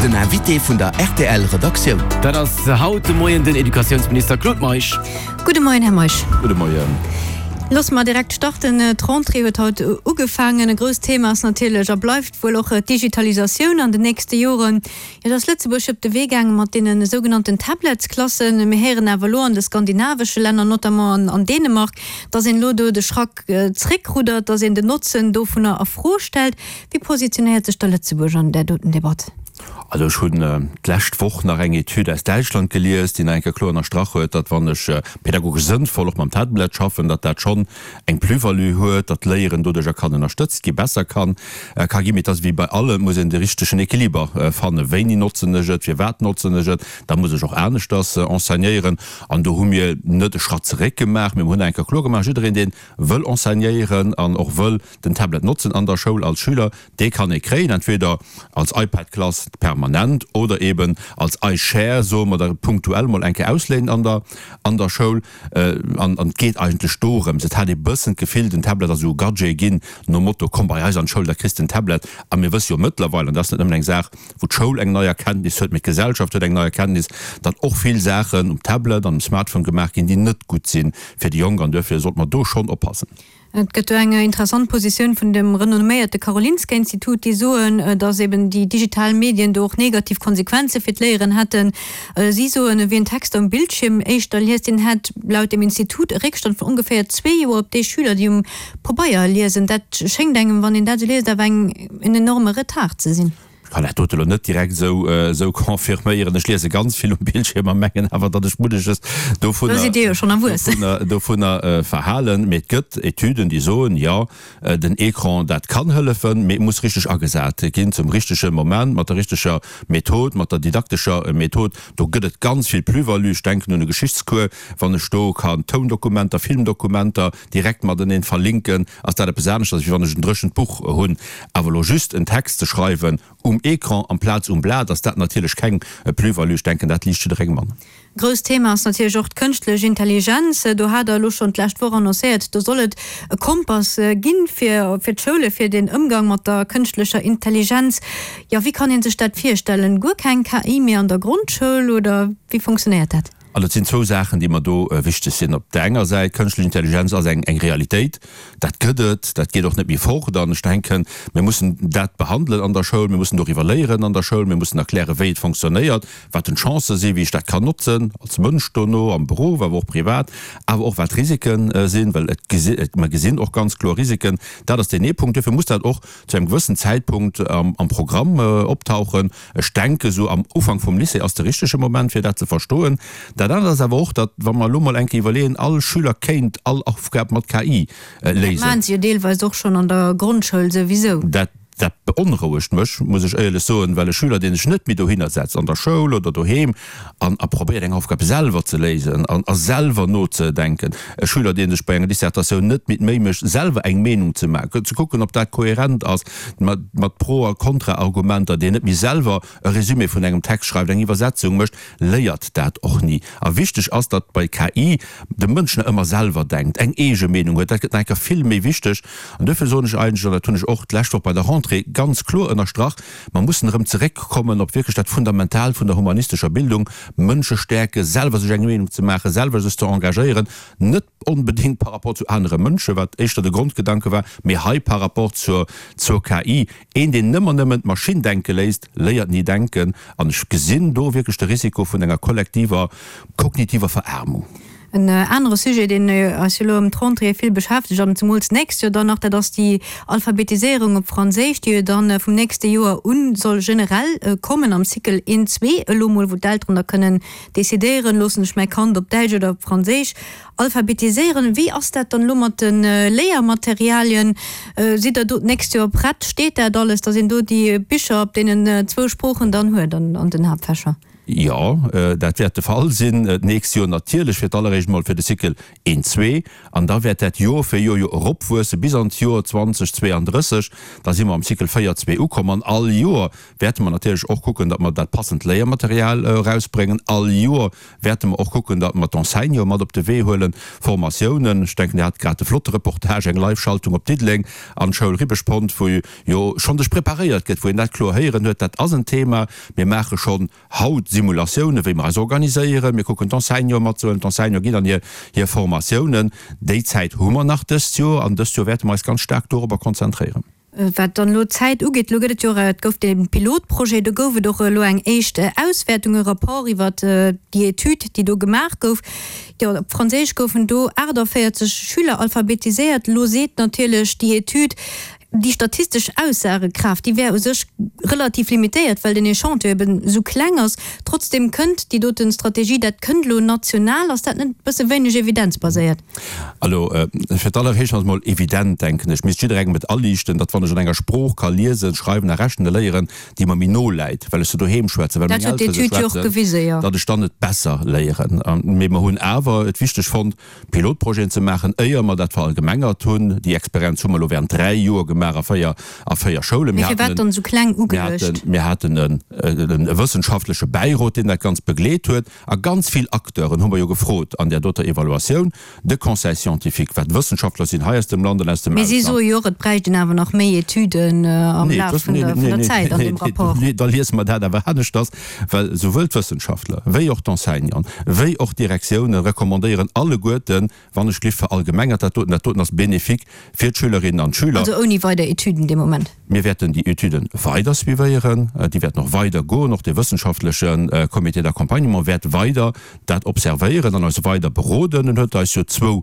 Den Invité vun der rtl Redaktioun. Dat ass haut de Moien den Educatiounsminister Claude Meisch. Gudde Moien, Här Meisch. Gudde Moien. Loosse mer direkt starten. D'Rentrée huet haut ugefaangen. E grousst Thema ass natierlech a bleift wuel och d'Digitalisatioun an den nächste Joren. Jo, do ass Lëtzebuerg op de Wee gaange mat deene sougenannten Tabletsklassen. Mir héieren awer elo an de skandinavesche Länner, notamment an Dänemark, dass een elo do de Schrack zréckruddert, dass een den Notzen dovunner a Fro stellt. Wéi positionéiert sech da Lëtzebuerg an där doten Debatt? Also ech hunn d'lescht Woch nach eng Etüd aus Däitschland gelies, déi nach eng Kéier kloer ënnerstrach huet, datt wann ech pädagogesch sënnvoll och mam Tablet schaffen, datt dat schonn eng Plus-value huet, datt d'Léieren doduercher kann ënnerstëtzt gi, besser kann ka ginn. Mee et ass wéi bei allem, et muss een de richtegen Equiliber fannen. Wéini notzen ech et? Firwat notzen ech et? Da muss ech och aneschters enseignéieren. An do hu mir net e Schratt zeréck gemaach, mee mir hunn eng Kéier kloer gemaach, jiddereen, dee wëll enseignéieren an och wëll den Tablet notzen an der Schoul als Schüler, dee kann e kréien, entweder als iPad-Klass permanent oder eben als iShare, soe mer da, punktuell mol eng Kéier ausléinen an der an der Schoul. An et geet eigentlech dorëms, et hat ee bëssen d'Gefill, den Tablet ass esou e Gadget ginn, nom Motto, komm bei eis an d'Schoul, da kriss de en Tablet. A mir wësse jo mëttlerweil, an dat ass net nëmmen eng Saach, wou d'Schoul eng nei Erkenntnis huet, mee d'Gesellschaft huet eng nei Erkenntnis, datt och vill Saachen um Tablet an um Smartphone gemaach ginn, déi net gutt si fir déi Jonk. An duerfir sollte mer do schonn oppassen. Et gëtt do eng interessant Positioun vun dem renomméierte Karolinska-Institut, déi soen, datt eben déi digital Medien do och negativ Konsequenze fir d'Léieren hätten. Si soen, wien Texter um Bildschierm éischter liest, deen hätt laut dem Institut e Réckstand vun ongeféier zwee Joer op déi Schüler, déi um Pabeier liesen. Dat schéngt engem, wann een dat esou liest, awer eng en enorme Retard ze sinn. Ech kann dat dote lo net direkt esou esou confirméieren. Ech liese ganz vill um Bildschierm a mengen awer, datt ech munneches dovunner, Da sidd Dir jo schonn erwuessen. dovunner, dovunner verhalen. Mee et gëtt Etüden, déi soen, jo, den Ecran, dat kann hëllefen, mee et muss richteg agesat ginn, zum richtege Moment, mat der richteger Method, mat der didaktescher Method. Do gëtt et ganz vill Plus-value. Ech denken un e Geschichtscours, wann ech do kann Toundokumenter, Filmdokumenter direkt mateneen verlinken, ass dat eppes aneschters, wéi wann ech en dréchent Buch hunn. Awer elo just en Text ze schreiwen um Ecran amplaz um Blat, ass dat natierlech keng Plus-value. Ech denken, dat liicht jidderengem an. Grousst Thema ass natierlech och d'kënschtlech Intelligenz. Do hat Der elo schonn d'lescht Woch annoncéiert, do soll et e Kompass ginn fir fir d'Schoule fir den Ëmgang mat der kënschtlecher Intelligenz. Jo, wéi kann ee sech dat virstellen? Guer keng KI méi an der Grondschoul oder wéi funktionéiert dat? An et sinn zwou Saachen, déi mer do wichteg sinn. Op där enger Säit, kënschtlech Intelligenz ass eng Realitéit, dat gëtt et, dat geet och net méi fort. An ech denken, mir mussen dat behandelen an der Schoul, mir mussen doriwwer léieren an der Schoul, mir mussen erklären, wéi et fonctionnéiert, wat den Chancë sinn, wéi ech dat kann notzen als Mënsch dono am Beruff, awer och privat, awer och wat d'Risike sinn, well et gesi, mer gesinn och ganz kloer Risiken. Dat ass deen ee Punkt. Duerfir muss dat och zu engem gewëssen Zäitpunkt am Programm optauchen. Ech denke sou am Ufank vum Lycée ass de richtege Moment fir dat ze verstoen. Dat anert ass awer och, datt wa mer elo mol eng Kéier iwwerleeën, all Schüler kéint all Aufgab mat KI léisen. Dat maachen se jo deelweis och schonn an der Grondschoul souwisou. Dat dat beonrouegt mech, muss ech éierlech soen, well e Schüler, dee sech net méi dohinner setzt, an der Schoul oder doheem, an a probéiert eng Aufgab selwer ze léisen an a selwer nozedenken, e Schüler, dee sech bei enger Dissertatioun net méi d'Méi mécht, selwer eng Meenung ze maachen, ze kucken, ob dat kohärent ass, mat mat Pro a Kontraargumenter, deen net méi selwer e Résumé vun engem Text schreift, eng Iwwersetzung mécht, léiert dat och ni. A wichteg ass, datt bei KI de Mënsch nach ëmmer selwer denkt, eng eege Meenung huet. Dat gëtt nach eng Kéier vill méi wichteg. An duerfir soen ech eigentlech, an dat hunn ech och d'lescht Woch bei der Rentrée ganz kloer ënnerstrach, Mer mussen erëm zeréckkommen op wierklech dat Fundamental vun der humanistescher Bildung, Mënsche stäerken, selwer sech eng Meenung ze maachen, selwer sech ze engagéieren, net onbedéngt par rapport zu anere Mënschen, wat éischter de Grondgedanke war, mee hei par rapport zur zur KI. Een, deen ëmmer nëmmen d'Maschinn denke léisst, léiert ni denken. An ech gesinn do wierklech de Risiko vun enger kollektiver kognitiver Veraarmung. En anere Sujet, deen eis jo elo ëm d'Rentrée vill beschäftegt an zemools d'nächst Joer dann nach, dat ass déi Alphabetiséierung op Franséisch, déi jo dann vum nächste Joer u soll generell kommen am Cycle een, zwee elo mol, wou d'Elteren da kënnen decidéieren, loossen ech mäi Kand op Däitsch oder op Franséisch alphabetiséieren. Wéi ass dat dann elo mat de Léiermaterialien? Sidd Der do d'nächst Joer prett? Steet dat alles, datt een do déi Bicher op deenen zwou Sproochen dann huet an den Haaptfächer? Jo, dat wäert de Fall sinn. D'nächst Joer natierlech fir d'alleréischt emol fir de Cycle een, zwee. An da wäert dat Joer fir Joer jo eropwuesse bis an d'Joer 2032. Da si mer am Cycle 4, zwee ukomm. An all Joer wäerte mer natierlech och kucken, datt mer dat passend Léiermaterial erausbréngen. All Joer wäerte mer och kucken, datt mer d'Enseignanten mat op de Wee huelen, Formatiounen. Ech denken, Dir hat grad e flotte Reportage, eng Live-Schaltung op Diddeleng an d'Schoul Ribeschpont, wou jo schonn sech preparéiert gëtt, wou een dat kloer héieren huet. Dat ass en Thema. Mir maache schonn haut Simulatiounen, wéi mer eis organiséieren. Mir kucken d'Enseignanten matzehuelen. D'Enseignanten ginn an hir hir Formatiounen. Déi Zäit hu mer nach dëst Joer an dëst Joer wäerte mer eis ganz staark dorobber konzentréieren. Wat dann elo d'Zäit ugeet, elo gëtt et jo och, et gouf dee Pilotprojet, do gouf et och elo eng éischt Auswäertung, e Rapport iwwert déi Etüd, déi do gemaach gouf. Jo, op Franséisch goufen do 48 Schüler alphabetiséiert. Elo seet natierlech déi Etüd, Déi statistesch Aussagekraaft, déi wär u sech relativ limitéiert, well den Echantillon eben esou kleng ass. Trotzdem kënnt déi doten Strategie, dat kënnt elo national. Ass dat net e bësse wéineg evidenzbaséiert? Elo, fir d'alleréischt ass emol evident, denken ech, misst jidderengem et aliichten, datt wann ech an enger Sprooch ka liesen, schreiwen a rechne léieren, déi mer méi no läit, well ech se doheem schwätzen, well meng Eltere se schwätzen, datt ech dann et besser léieren. Mee mer hunn awer et wichteg fonnt, Pilotprojeten ze maachen, éier mer dat verallgemengert hunn. Déi Experienz hu mer elo während 3 Joer gemaach a 4 a 4 Schoulen. Mee firwat dann esou kleng ugeluecht? Mir haten e wëssenschaftleche Bäirot, deen dat Ganzt begleet huet. A ganz vill Acteuren hu mer jo gefrot an där doter Evaluatioun, de Conseil scientifique, wat Wëssenschaftler sinn hei aus dem Land an aus dem Mee si soe jo och, et bräicht een awer nach méi Etüden am Laf vun der Zäit an deem Rapport. Nee, da liese mer dat awer aneschters. Well souwuel d'Wëssenschaftler wéi och d'Enseignanten, wéi och d'Direktiounen recommandéieren alleguerten, wann ech glift verallgemengert dat doten, dat doten ass bénéfique fir d'Schülerinnen an d'Schüler. Also ouni weider Etüden de Moment? Mir wäerten déi Etüden weider suivéieren, déi wäerten och weider goen. Och de wëssenschaftleche Comité d'accompagnement wäert weider dat observéieren an eis weider beroden. En huet eis jo zwou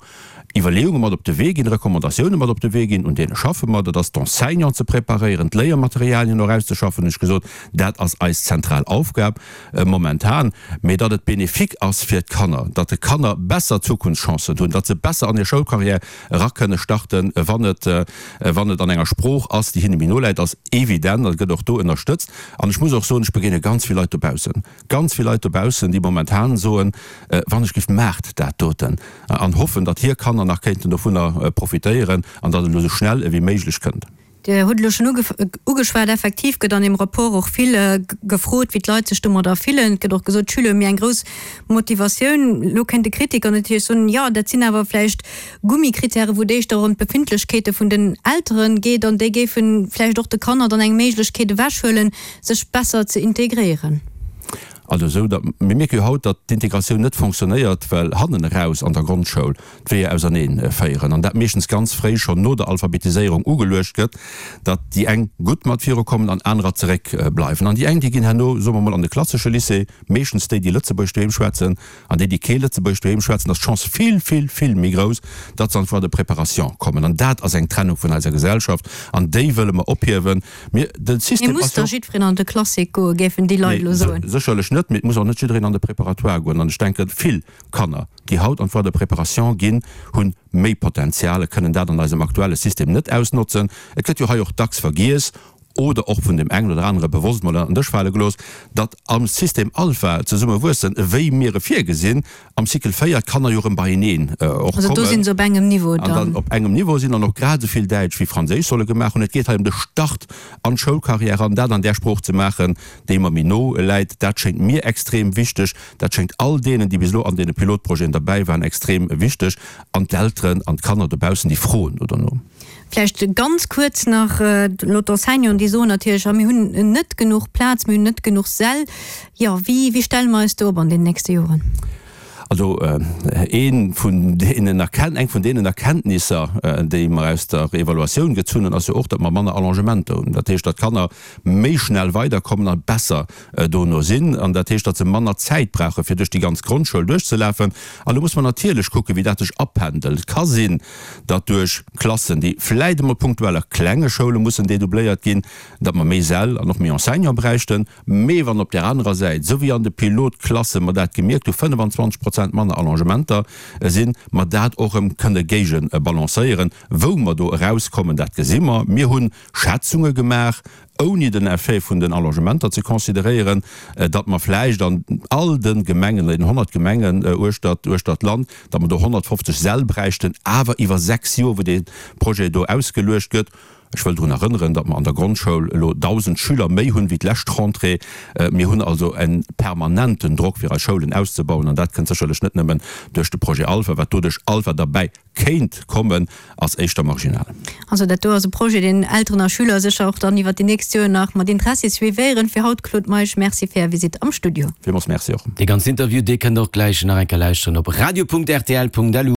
Iwwerleeunge mat op de Wee ginn, Recommandatioune mat op de Wee ginn, un deene schaffe mer. Dat ass d'Enseignanten ze preparéieren, d'Léiermaterialien och auszeschaffen, hunn ech gesot. Dat ass eis zentral Aufgab momentan. Mee datt et bénéfique ass fir d'Kanner, datt d'Kanner besser Zukunftschancen hunn, datt se besser an hir Schoulcarrière era kënne starten, wann et, wann et an enger Sprooch ass, déi hinne méi no läit, ass evident a gëtt och do ënnerstëtzt. An ech muss och soen, ech begéine ganz vill Leit dobaussen, Ganz vill Leit dobaussen, déi momentan soen, Wann ech giff, maacht dat doten! an hoffen, datt hir Kanner nach kéinten dovunner profitéieren an datt et elo esou schnell ewéi méiglech kënnt. Dir hutt elo schonn ugeschwat, effektiv gëtt an deem Rapport och vill gefrot, wéi d'Leit sech domadder fillen. Et gëtt och gesot, d'Schüler hu méi eng grouss Motivatioun. Elo kéint de Kritiker natierlech soen, jo, dat sinn awer vläicht Gummikrittäre wou et éischter ëm d'Befindlechkeete vun den Eltere geet an déi géife vläicht och de Kanner dann eng Méiglechkeet ewechhuelen, sech besser ze integréieren. Also esou, datt, mir mierke jo haut, datt d'Integratioun net fonctionnéiert, well hannen eraus an der Grondschoul d'Weeër ausernee féieren an dat meeschtens ganz fréi schonn no der Alphabetiséierung ugeluecht gëtt, datt déi eng gutt mat virukommen an anerer zeréck bleiwen. An déi eng, déi ginn herno, soe mer mol, an de klassesche Lycée, meeschtens déi, déi Lëtzebuergesch doheem schwätzen, An déi, déi kee Lëtzebuergesch doheem schwätzen, ass d'Chance vill, vill, vill méi grouss, datt se an d'Voie de préparation kommen. An dat ass eng Trennung vun eiser Gesellschaft, an déi wëlle mer ophiewen. Mir, de Mee System muss ass da jo. jiddwereen an de Classique goen, géifen déi Leit elo Nee, soen? sécherlech net, mee et muss och net jiddereen an de Préparatoire goen. An ech denken, vill Kanner, déi haut an d'Voie de préparation ginn, hu méi Potenzial a kënnen dat an eisem aktuelle System net ausnotzen. Et gëtt jo hei och dacks vergiess, oder och vun dem engen oder anere bewosst mol ënnert den Dësch fale gelooss, datt am System Alpha zesumme wuessen, wéi mir e virgesinn, am Cycle 4 d'Kanner jo erëm beieneen och Also do kommen si se op engem Niveau an dann dann. op engem Niveau sinn an och grad esou vill Däitsch wéi Franséisch solle gemaach hunn. Et geet hei ëm de Start an d'Schoulcarrière an dat an där Sprooch ze maachen, déi mer méi no läit. Dat schéngt mir extrem wichteg. Dat schéngt all deenen, déi bis elo an deene Pilotprojeten derbäi waren, extrem wichteg. An d'Elteren an d'Kanner dobaussen, déi froen do derno. Vläicht ganz kuerz nach, elo d'Enseignanten, déi soen natierlech, jo mir hunn net genuch Plaz, mir hunn net genuch Säll. Jo, wéi, wéi stelle mer eis do op an den nächste Joren? Also ee vun deenen Erken, eng vun deenen Erkenntnisser, déi mer aus der Evaluatioun gezunn hunn, ass jo och, datt mer manner Allongementer hunn. Dat heescht, datt d'Kanner méi schnell weiderkommen a besser dono sinn. An dat heescht, datt se manner Zäit brauche fir duerch déi ganz Grondschoul duerchzelafen. An do muss mer natierlech kucken, wéi dat sech apendelt. Et ka sinn, datt duerch Klassen, déi vläit emol punktuell a klenge Schoule mussen dedoubléiert ginn, datt mer méi Säll an och méi Enseignante bräichten. Mee wann op där anerer Säit, esou wéi an de Pilotklasse mer dat gemierkt hu, 25 Prozent manner Allongementer sinn, mer dat och erëm kënne géigebalancéieren. Wou mer do erauskommen, dat gesi mer. Mir hu Schätzunge gemaach. ouni den Effet vun den Allongementer ze consideréieren, datt mer vläicht an all de Gemengen, den 100 Gemengen uechtert uechtert d'Land, datt mer do 150 Säll bräichten, awer iwwer 6 Joer, wou dee Projet do ausgeluecht gëtt. Ech wëll drun erënneren, datt mer an der Grondschoul elo 1.000 Schüler méi hunn wéi d'lescht Rentrée. Mir hunn also e permanenten Drock, fir eis Schoulen auszebauen, an dat kënnt sécherlech net nëmmen duerch de Projet Alpha. Wat doduerch Alpha derbäi kéint kommen, ass éischter marginal. Also dat do ass e Projet, deen Elteren a Schüler sécher och dann iwwert déi nächst Joer nach mat Interessi suivéieren. Fir haut, Claude Meisch, Merci fir Är Visitt am Studio. Villmools Merci och. Dee ganzen Interview, dee kënnt Der och gläich nach eng Kéier lauschteren op radio.rtl.lu.